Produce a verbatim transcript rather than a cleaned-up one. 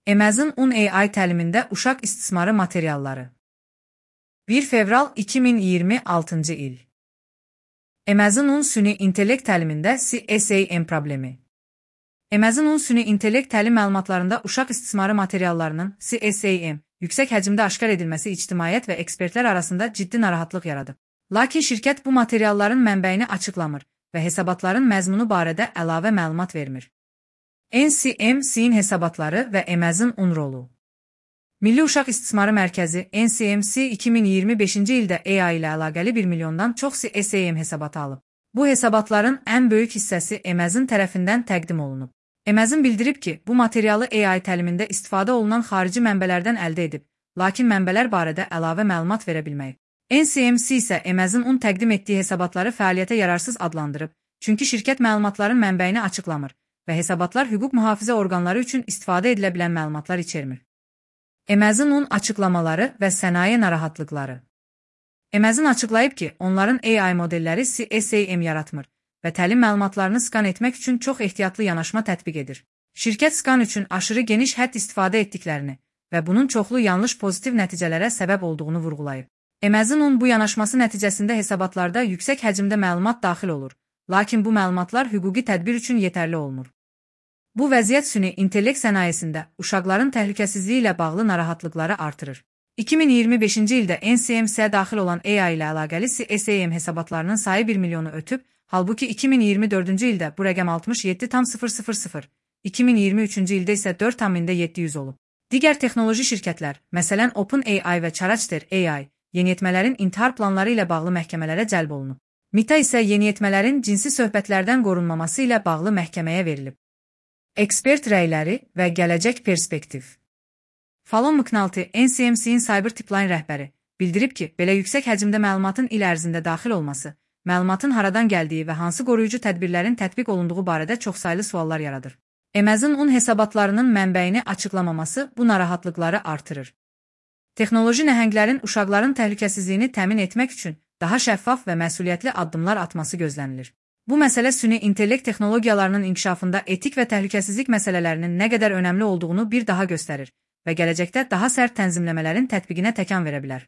Amazon on A I təlimində uşaq istismarı materialları. bir fevral iki min iyirmi altıncı il. Amazon on süni intellekt təlimində C S A M problemi. Amazon on süni intellekt təlim məlumatlarında uşaq istismarı materiallarının C S A M yüksək həcmdə aşkar edilməsi ictimaiyyət və ekspertlər arasında ciddi narahatlıq yaradıb. Lakin şirkət bu materialların mənbəyini açıqlamır və hesabatların məzmunu barədə əlavə məlumat vermir. N C M C-in hesabatları və Amazon on rolu. Milli Uşaq İstismarı Mərkəzi N C M C iki min iyirmi beşinci ildə A I ilə əlaqəli bir milyondan çox C S A M hesabatı alıb. Bu hesabatların ən böyük hissəsi Amazon tərəfindən təqdim olunub. Amazon bildirib ki, bu materialı A I təlimində istifadə olunan xarici mənbələrdən əldə edib, lakin mənbələr barədə əlavə məlumat verə bilməyib. N C M C isə Amazon on təqdim etdiyi hesabatları fəaliyyətə yararsız adlandırıb, çünki şirkət məlumatların mənbəyini açıqlamır və hesabatlar hüquq mühafizə orqanları üçün istifadə edilə bilən məlumatlar içermir. Amazon on açıqlamaları və sənaye narahatlıqları. Amazon açıqlayıb ki, onların A I modelləri C S A M yaratmır və təlim məlumatlarını skan etmək üçün çox ehtiyatlı yanaşma tətbiq edir. Şirkət skan üçün aşırı geniş hədd istifadə etdiklərini və bunun çoxlu yanlış pozitiv nəticələrə səbəb olduğunu vurğulayıb. Amazon on bu yanaşması nəticəsində hesabatlarda yüksək həcmdə məlumat daxil olur, lakin bu məlumatlar hüquqi tədbir üçün yetərli olmur. Bu vəziyyət süni intellekt sənayesində uşaqların təhlükəsizliyi ilə bağlı narahatlıqları artırır. iki min iyirmi beşinci ildə N C M C-yə daxil olan A I ilə əlaqəli C S A M hesabatlarının sayı bir milyonu ötüb, halbuki iki min iyirmi dördüncü ildə bu rəqəm altmış yeddi nöqtə sıfır sıfır, iki min iyirmi üçüncü ildə isə dörd nöqtə yeddi yüz olub. Digər texnoloji şirkətlər, məsələn OpenAI və Character A I, yeniyetmələrin intihar planları ilə bağlı məhkəmələrə cəlb olunub. Meta isə yeniyetmələrin cinsi söhbətlərdən qorunmaması ilə bağlı məhkəməyə verilib. Ekspert rəyləri və gələcək perspektiv. Fallon McNulty, N C M C-in Cyber Tipline rəhbəri, bildirib ki, belə yüksək həcmdə məlumatın il ərzində daxil olması, məlumatın haradan gəldiyi və hansı qoruyucu tədbirlərin tətbiq olunduğu barədə çoxsaylı suallar yaradır. Amazon on hesabatlarının mənbəyini açıqlamaması bu narahatlıqları artırır. Texnoloji nəhənglərin uşaqların təhlükəsizliyini təmin etmək üçün daha şəffaf və məsuliyyətli addımlar atması gözlənilir. Bu məsələ süni intellekt texnologiyalarının inkişafında etik və təhlükəsizlik məsələlərinin nə qədər önəmli olduğunu bir daha göstərir və gələcəkdə daha sərt tənzimləmələrin tətbiqinə təkan verə bilər.